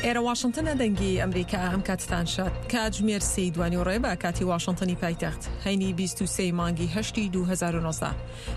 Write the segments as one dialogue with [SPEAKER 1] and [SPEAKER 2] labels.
[SPEAKER 1] ئێرە واشنتنە دەنگی ئەمریکا ئەم کاتتان شاد کاتژمێر سێی دوانیوەڕێ بە کاتی واشنتنی پایتەخت هەینی 23 مانگی هەشتی 2019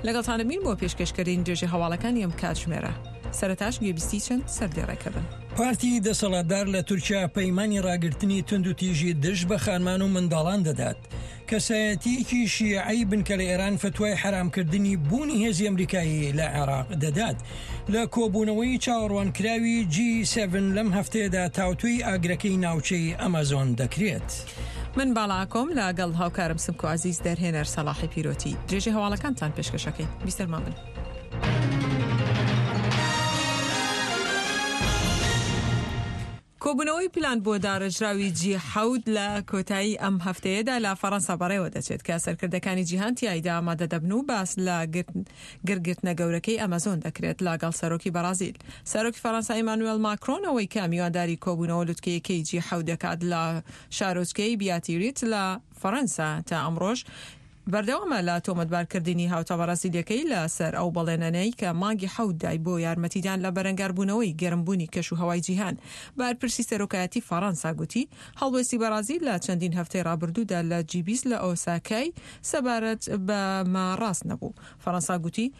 [SPEAKER 1] لەگەڵتانەبین بۆ پێشکەشکردنی درێژەی هەواڵەکانی ئەم کاتژمێرە سەرەتاش گوێبیستی چەند سەردێڕێکە بن.
[SPEAKER 2] پارتی دەسەڵاتدار لە تورکیا پەیمانی ڕاگرتنی توندوتیژی دژ بە خانمان و منداڵان دەدات. کەسایەتییەکی شیعەی بنکە لە ئێران فتوای حەرامکردنی بوونی هێزی ئەمریکایی لە عێراق دەدات. لە کۆبوونەوەی چاوەڕوانکراوی جی سێڤن لەم هەفتەیەدا تاوتوێی ئاگرەکەی ناوچەی ئەمازۆن دەکرێت.
[SPEAKER 1] من باڵا ئاکۆم لە گەڵ هاوکارم سمکۆ عەزیز دەرهێنەر سەڵاحی پیرۆتی درێژەی هەواڵەکانتان پێشکەشەکەین بیسەرمان بن. کۆبوونەوەی پلان بۆ داڕێژراوی جی حەوت لە کۆتایی ئەم هەفتەیەدا لە فەڕەنسا بەڕێوە دەچێت کە سەرکردەکانی جیهان تیایدا ئامادە دەبن و باس لە گرگرتنە گەورەکەی ئەمەزۆن دەکرێت لەگەڵ سەرۆکی بەڕازیل سەرۆکی فەڕەنسا ئیمانوێل ماکرۆن ئەوەی کە میوانداری کۆبوونەوە لوتکەیەکەی جی حەوت دەکات لە شارۆچکەی بیاتیریت لە فەڕەنسا تا ئەمڕۆش بەردەوامە لە تۆمەتبارکردنی هاوتا بەڕازیلییەکەی لە سەر ئەو بەڵێنەنەی کە مانگی حەوت دای بۆ یارمەتیدان لە بەرەنگاربوونەوەی گەرمبوونی کەشوهەوای جیهان. بەرپرسی سەرۆکایەتی فەڕەنسا گوتی، هەڵوێستی بەڕازیل لە چەندین هەفتەی ڕابردوودا لە جی 20 لە ئۆساکای سەبارەت بەمە ڕاست نەبوو. فەڕەنسا گوتی،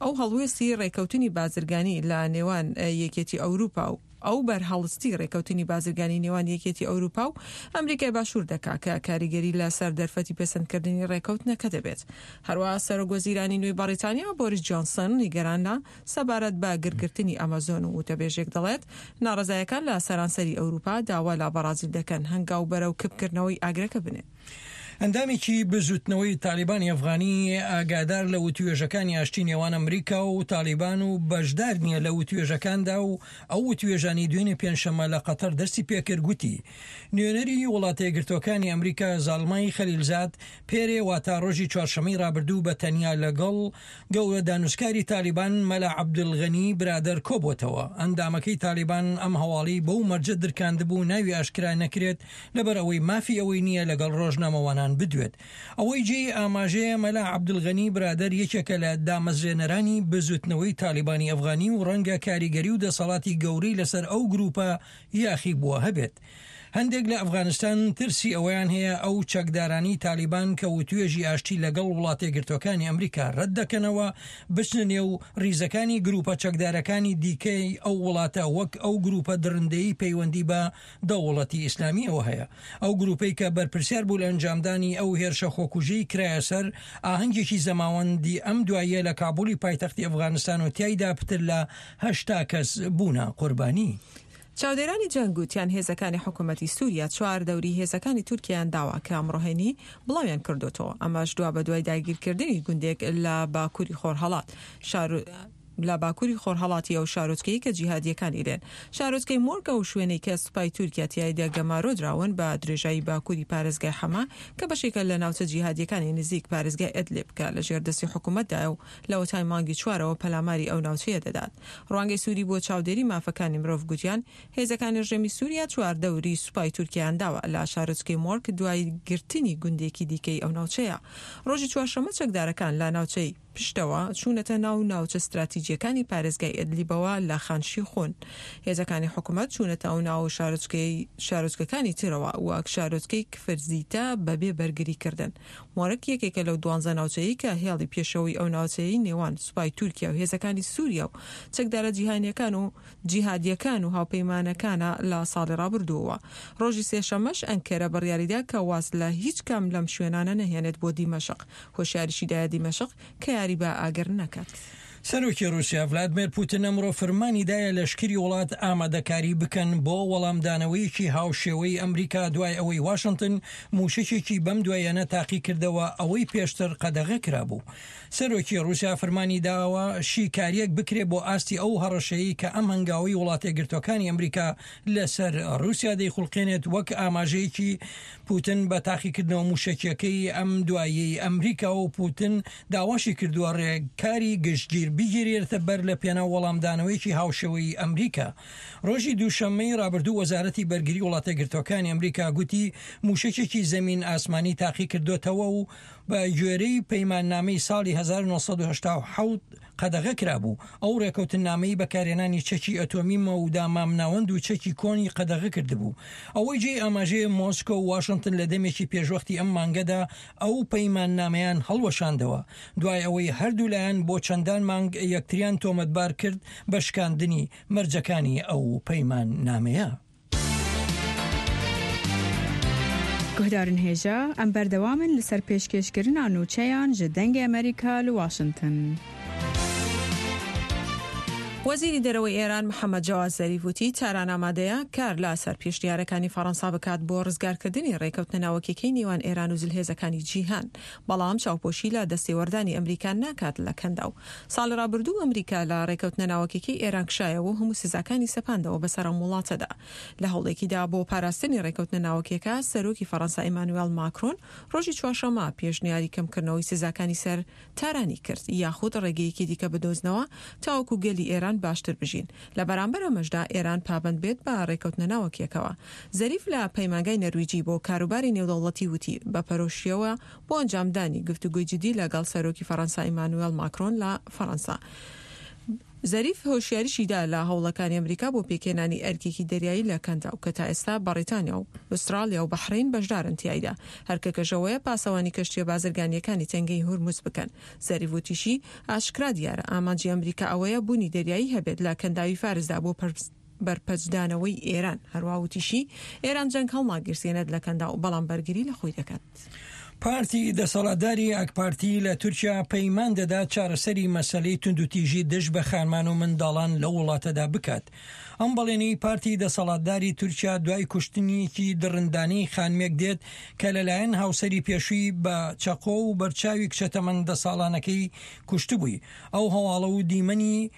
[SPEAKER 1] ئەو هەڵوێستی ڕێکەوتنی بازرگانی لە نێوان یەکێتی ئەوروپا و ئەو بەرهەڵستی ڕێکەوتنی بازرگانی نێوان یەکێتی ئەوروپا و ئەمریکای باشوور دەکا کە کاریگەری لە سەر دەرفەتی پەسەندکردنی ڕێکەوتنەکە دەبێت. هەروەها سەرۆک وەزیرانی نوێی بەڕیتانیا بۆریس جۆنسن نیگەرانە سەبارەت بە گرگرتنی ئەمەزۆن و وتەبێژێک دەڵێت ناڕەزایەکان لە سەرانسەری ئەوروپا داوا لە بەڕازیل دەکەن هەنگاو بەرەو کپکردنەوەی ئاگرەکە بنێن.
[SPEAKER 2] ئەندامێکی بزوتنەوەی تالیبانی ئەفغانی ئاگادار لە وتوێژەکانی ئاشتی نێوان ئەمریکا و تالیبان و بەشدار نییە لە وتوێژەکاندا و ئەو وتوێژانەی دوێنێ پێنجشەممە لە قەتەر دەستی پێکرد گوتی نوێنەری وڵاتەیەکگرتووەکانی ئەمریکا زاڵمای خەلیلزاد پێرێ واتا ڕۆژی چوارشەممەی ڕابردوو بە تەنیا لەگەڵ گەورە دانوسکاری تالیبان مەلا عەبدولغەنی برادەر کۆبووەتەوە. ئەندامەکەی تالیبان ئەم هەواڵەی بەو مەرجە درکاندبوو ناوی ئاشکرا نەکرێت لەبەر ئەوەی مافی ئەوەی نییە لەگەڵ ڕۆژنامەوانان بدوێت. ئەوەی جێی ئاماژەیە مەلا عەبدولغەنی برادەر یەکێکە لە دامەزرێنەرانی بزوتنەوەی تالیبانی ئەفغانی و ڕەنگە کاریگەری و دەسەڵاتی گەورەی لەسەر ئەو گروپە یاخیبووە هەبێت. هەندێک لە ئەفغانستان ترسی ئەوەیان هەیە ئەو چەکدارانی تالیبان کە وتوێژی ئاشتی لەگەڵ وڵاتەیەکگرتووەکانی ئەمریکا رەت دەکەنەوە بچنە نێو ریزەکانی گروپە چەکدارەکانی دیکەی ئەو وڵاتە وەک ئەو گروپە دڕندەیی پەیوەندی بە دەوڵەتی ئیسلامییەوە هەیە. ئەو گروپەی کە بەرپرسیار بوو لە ئەنجامدانی ئەو هێرشە خۆکوژیەی کرایە سەر ئاهەنگێکی زەماوەندی ئەم دواییە لە کابولی پایتەختی ئەفغانستان و تیایدا پتر لە 80 کەس بوونە قوربانی.
[SPEAKER 1] چاودێرانی جەنگ گوتیان هێزەکانی حکومەتی سوریا چواردەوری هێزەکانی تورکیایان داوە کە ئەمڕۆ هەینی بڵاویان کردۆتەوە، ئەمەش دوابەدوای داگیرکردنی گوندێک لە باکوری خۆرهەڵات شار لە باکوری خۆرهەڵاتی ئەو شارۆچکەی کە جیهادییەکانی لێن. شارۆچکەی مۆرگ ئەو شوێنەی کە سوپای تورکیا تیایدا گەمارۆ دراون بە درێژایی باکوری پارێزگای حەما کە بەشێکە لە ناوچە جیهادییەکانی نزیک پارێزگای ئەدلب کە لەژێر دەستی حکومەتدایە و لەوەتای مانگی چوارەوە پەلاماری ئەو ناوچەیە دەدات. ڕوانگەی سوری بۆ چاودێری مافەکانی مرۆڤ گوتیان، هێزەکانی ڕژێمی سوریا چواردەوری سوپای تورکیایان داوە لە شارۆچکەی مۆرک دوای گرتنی گوندێکی دیکەی ئەو ناوچەیە. ڕۆژی چوارشەممە چەکدارەکان لە ناوچەی پشتەوە چوونەتە ناو ناوچە ستراتیجییەکانی پارێزگای ئێدلیبەوە لە خان شیخون. هێزەکانی حکومەت چوونەتە ئەو ناو شارۆچکەی شارۆچکەکانی ترەوە وەک شارۆچکەی کفرزیتە بەبێ بەرگریکردن. مۆرک یەکێکە لەو دوانزە ناوچەیەی کە هێڵی پێشەوەی ئەو ناوچەیەی نێوان سوپای تورکیا و هێزەکانی سوریا و چەکدارە جیهانیەکان و جیهادیەکان و هاوپەیمانەکانە لە ساڵی ڕابردووەوە. ڕۆژی سێشەممەش ئەنکەرە بڕیاریدا کە واز لە هیچ کام لەم شوێنانە نەهێنێت بۆ دیمەشق. هۆشیاریشی دایە دیمەشق کە یاری بە ئاگر نەکات.
[SPEAKER 2] سەرۆکی ڕووسیا ڤلادمێر پوتن ئەمڕۆ فرمانی دایە لەشکری وڵات ئامادەکاری بکەن بۆ وەڵامدانەوەیەکی هاوشێوەی ئەمریکا دوای ئەوەی واشنتن مووشەکێکی بەم دواییانە تاقیکردەوە ئەوەی پێشتر قەدەغە کرابوو. سەرۆکی ڕووسیا فرمانی داوە شیکارییەک بکرێت بۆ ئاستی ئەو هەڕەشەیەی کە ئەم هەنگاوەی وڵاتەیەکگرتووەکانی ئەمریکا لەسەر ڕووسیا دەیخوڵقێنێت وەک ئاماژەیەکی پوتن بە تاقیکردنەوە مووشەکییەکەی ئەم دواییەی ئەمریکا و پوتن داواشی کردووە ڕێکاری گشتگیر بگیرێتە بەر لە پێناو وەڵامدانەوەیەکی هاوشێوەی ئەمریکا. ڕۆژی دووشەممەی ڕابردوو وەزارەتی بەرگری وڵاتەیەکگرتووەکانی ئەمریکا گوتی مووشەکێکی زەمین ئاسمانی تاقیکردۆتەوە و بە گوێرەی پەیماننامەی ساڵی. 1987 قەدەغە کرابوو، ئەو ڕێکەوتننامەی بەکارهێنانی چەکی ئەتۆمی مەودا مامناوەند و چەکی کۆنی قەدەغە کردبوو. ئەوەی جێی ئاماژەیە مۆسکۆ و واشنتن لە دەمێکی پێشوەختی ئەم مانگەدا ئەو پەیماننامەیان هەڵوەشاندەوە، دوای ئەوەی هەردوولایان بۆ چەندان مانگ یەکتریان تۆمەتبار کرد بە شکاندنی مەرجەکانی ئەو پەیماننامەیە.
[SPEAKER 3] Guhdarên hêja, em berdewam in li ser pêşkêşkirina nûçeyan ji Dengê Amerîka li Washington.
[SPEAKER 1] وەزیری دەرەوەی ئێران محەمەد جەواد زەریف وتی، تاران ئامادەیە کار لە سەر پێشنیارەکانی فەڕەنسا بکات بۆ ڕزگارکردنی ڕێکەوتنە ناوەکیەکەی نێوان ئێران و زلهێزەکانی جیهان، بەڵام چاوپۆشی لە دەستێوەردانی ئەمریکا ناکات لە کەنداو. ساڵی ڕابردوو ئەمریکا لە ڕێکەوتنە ناوەکیەکەی ئێران کشایەوە و هەموو سزاکانی سەپاندەوە بەسەر ئەم وڵاتەدا. لە هەوڵێکیدا بۆ پاراستنی ڕێکەوتنە ناوەکیەکە، سەرۆکی فەڕەنسا ئیمانوێڵ ماکرۆن ڕۆژی چوارشەممە پێشنیاری کەمکردنەوەی سزاکانی سەر تارانی کرد یاخود ڕێگەیەکی دیکە بدۆزنەوە تاوەکو گەلی ئێران باشتر بژین، لە بەرامبەر ئەمەشدا ئێران پابەند بێت بە ڕێکەوتنە ناوەکیەکەوە. زەریف لە پەیمانگای نەرویجی بۆ کاروباری نێودەوڵەتی وتی، بە پەرۆشیەوە بۆ ئەنجامدانی گفتوگۆی جدی لەگەڵ سەرۆکی فەرەنسا ئیمانوێڵ ماکرۆن لە فەرەنسا. زەریف هۆشیاریشی دا لە هەوڵەکانی ئەمریکا بۆ پێکهێنانی ئەرکێکی دەریایی لە کەنداو کە تا ئێستا بەڕیتانیا و ئوستراڵیا و بەحرەین بەشدارن تیایدا، هەرکەکەش ئەوەیە پاسەوانی کەشتییە بازرگانییەکانی تەنگەی هورمز بکەن. زەریف وتیشی، ئاشکرا دیارە ئامانجی ئەمریکا ئەوەیە بوونی دەریایی هەبێت لە کەنداوی فارسدا بۆ بەرپەچدانەوەی ئێران. هەروا وتیشی، ئێران جەنگ هەڵناگیرسێنێت لە کەنداو، بەڵام بەرگری لە خۆی دەکات.
[SPEAKER 2] پارتی دەسەڵاتداری ئاکپارتی لە تورکیا پەیمان دەدات چارەسەری مەسەلەی توندوتیژی دژ بە خانمان و منداڵان لەو وڵاتەدا بکات. ئەم بەڵێنەی پارتی دەسەڵاتداری تورکیا دوای کوشتنیکی دڕندانەی خانمێک دێت کە لەلایەن هاوسەری پێشووی بە چەقۆ و بەرچاوی کچە تەمەن دە ساڵانەکەی کوشتبووی. ئەو هەواڵە و دیمەنی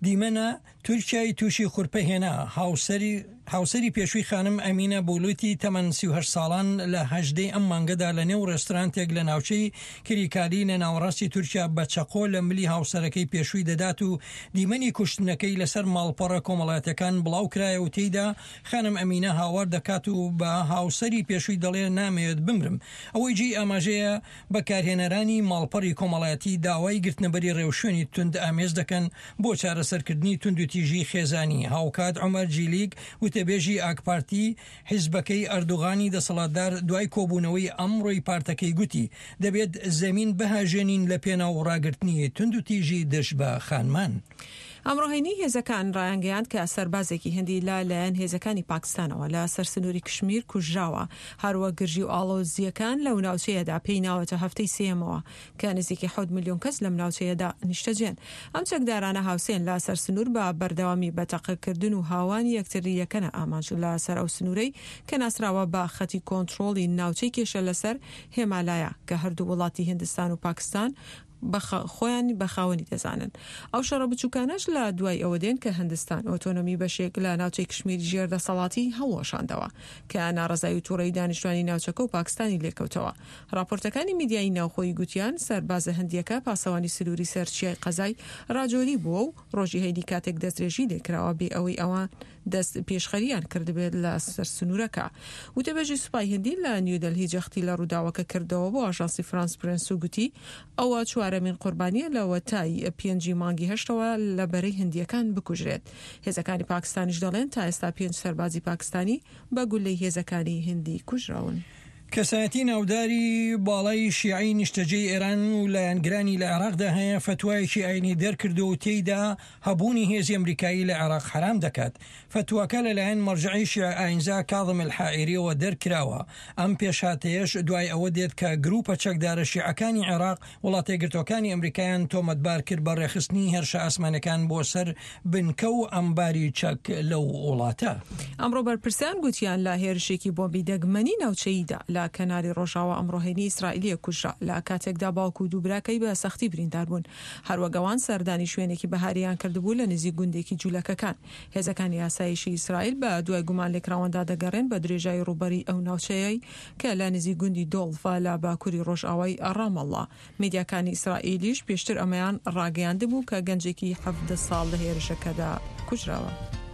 [SPEAKER 2] دیمەنە تورکیای تووشی خورپە هێنا. هاوسەری هاوسەری پێشووی خانم ئەمینە بولوتی تەمەن 38 ساڵان لە 18 ی ئەم مانگەدا لە نێو ڕێسترانتێک لە ناوچەی کریکالی لە ناوەڕاستی تورکیا بە چەقۆ لە ملی هاوسەرەکەی پێشووی دەدات و دیمەنی کوشتنەکەی لەسەر ماڵپەڕە کۆمەڵایەتیەکان بڵاوکرایە و تێیدا خانم ئەمینە هاوار دەکات و بە هاوسەری پێشووی دەڵێ نامەوێت بمرم. ئەوەی جێی ئاماژەیە بەکارهێنەرانی ماڵپەڕی کۆمەڵایەتی داوای گرتنەبەری ڕێوشوێنی توندئامێز دەکەن بۆ چارەسەرکردنی توندوتیژی خێزانی، هاوکات عومەر جیلیک وتەبێژی ئاکپارتی حیزبەکەی ئەردۆغانی دەسەڵاتدار دوای کۆبوونەوەی ئەمڕۆی پارتەکەی گوتی، دەبێت زەمین بهەژێنین لەپێناو ڕاگرتنی توندوتیژی دژ بە خانمان.
[SPEAKER 1] ئەمڕۆ هەینی هێزەکان ڕایانگەیاند کە سەربازێکی هندی لە لایەن هێزەکانی پاکستانەوە لە سەر سنووری کشمیر کوژراوە، هەروەک گرژی و ئاڵۆزییەکان لەو ناوچەیەدا پێی ناوەتە هەفتەی سێیەمەوە کە نزیکەی حەوت ملیۆن کەس لەم ناوچەیەدا نیشتەجێن. ئەم چەکدارانە هاوسێن لە سەر سنوور بە بەردەوامی بە تەقەکردن و هاوانی یەکتری یەکەنە ئامانج لە سەر ئەو سنوورەی کە ناسراوە بە خەتی کۆنترۆڵی ناوچەی کێشە لەسەر هێمالایا کە هەردوو وڵاتی هندستان و پاکستان بە خۆیان بە خاوەنی دەزانن. ئەو شەڕە بچووکانەش لە دوای ئەوە دێن کە هندستان ئۆتۆنۆمی بەشێک لە ناوچەی کشمیری ژێر دەسەڵاتی هەڵوەشاندەوە کە ناڕەزایی و توڕەیی دانیشتوانی ناوچەکە و پاکستانی لێکەوتەوە. ڕاپۆرتەکانی میدیایی ناوخۆیی گوتیان سەربازە هندییەکە پاسەوانی سنووری سەر چیای قەزای ڕاجۆری بووە و ڕۆژی هەینی کاتێک دەستدرێژی لێکراوە بێ ئەوەی ئەوان دەست پێشخەریان کردبێت لە سەر سنوورەکە. وتەبێژی سوپای هندی لە نیودەلهی جەختی لە ڕووداوەکە کردەوە بۆ ئاژانسی فرانس پرێنس و گوتی، ئەوە چوارەمین قوربانییە لەوەتای پێنجی مانگی هەشتەوە لە بەرەی هندییەکان بکوژرێت. هێزەکانی پاکستانیش دەڵێن تا ئێستا پێنج سەربازی پاکستانی بە گوللەی هێزەکانی هندی کوژراون.
[SPEAKER 2] کەسایەتی ناوداری باڵای شیعەی نیشتەجێی ئێران و لایەنگرانی لە عێراقدا هەیە، فەتوایەکی ئاینی دەرکردووە و تێیدا هەبوونی هێزی ئەمریکایی لە عێراق حەرام دەکات. فەتواکە لەلایەن مەرجەعی شیعە ئاینزا کاظم الحائیریەوە دەرکراوە. ئەم پێشهاتەیەش دوای ئەوە دێت کە گروپە چەکدارە شیعەکانی عێراق وڵاتەیەکگرتووەکانی ئەمریکایان تۆمەتبار کرد بە ڕێکخستنی هێرشە ئاسمانیەکان بۆ سەر بنکە و ئەمباری چەک لەو وڵاتە.
[SPEAKER 1] ئەمڕۆ بەرپرسان گوتیان لە هێرشێکی بۆمبی دەگمەنی ناوچەییدا لە کەناری ڕۆژاوا ئەمڕۆ هەینی ئیسرائیلییەک کوژرا لە کاتێکدا باوک و دوو براکەی بە سەختی بریندار بوون. هەروەک ئەوان سەردانی شوێنێکی بەهارییان کردبوو لە نزیک گوندێکی جولەکەکان. هێزەکانی ئاسایشی ئیسرائیل بە دوای گومانلێکراواندا دەگەڕێن بە درێژایی ڕووبەری ئەو ناوچەیەی کە لە نزیک گوندی دۆڵفە لە باکووری ڕۆژئاوای ڕامەڵڵا. میدیاکانی ئیسرائیلیش پێشتر ئەمەیان ڕاگەیاندبوو کە گەنجێکی 17 ساڵ لە هێرشەکەدا کوژراوە.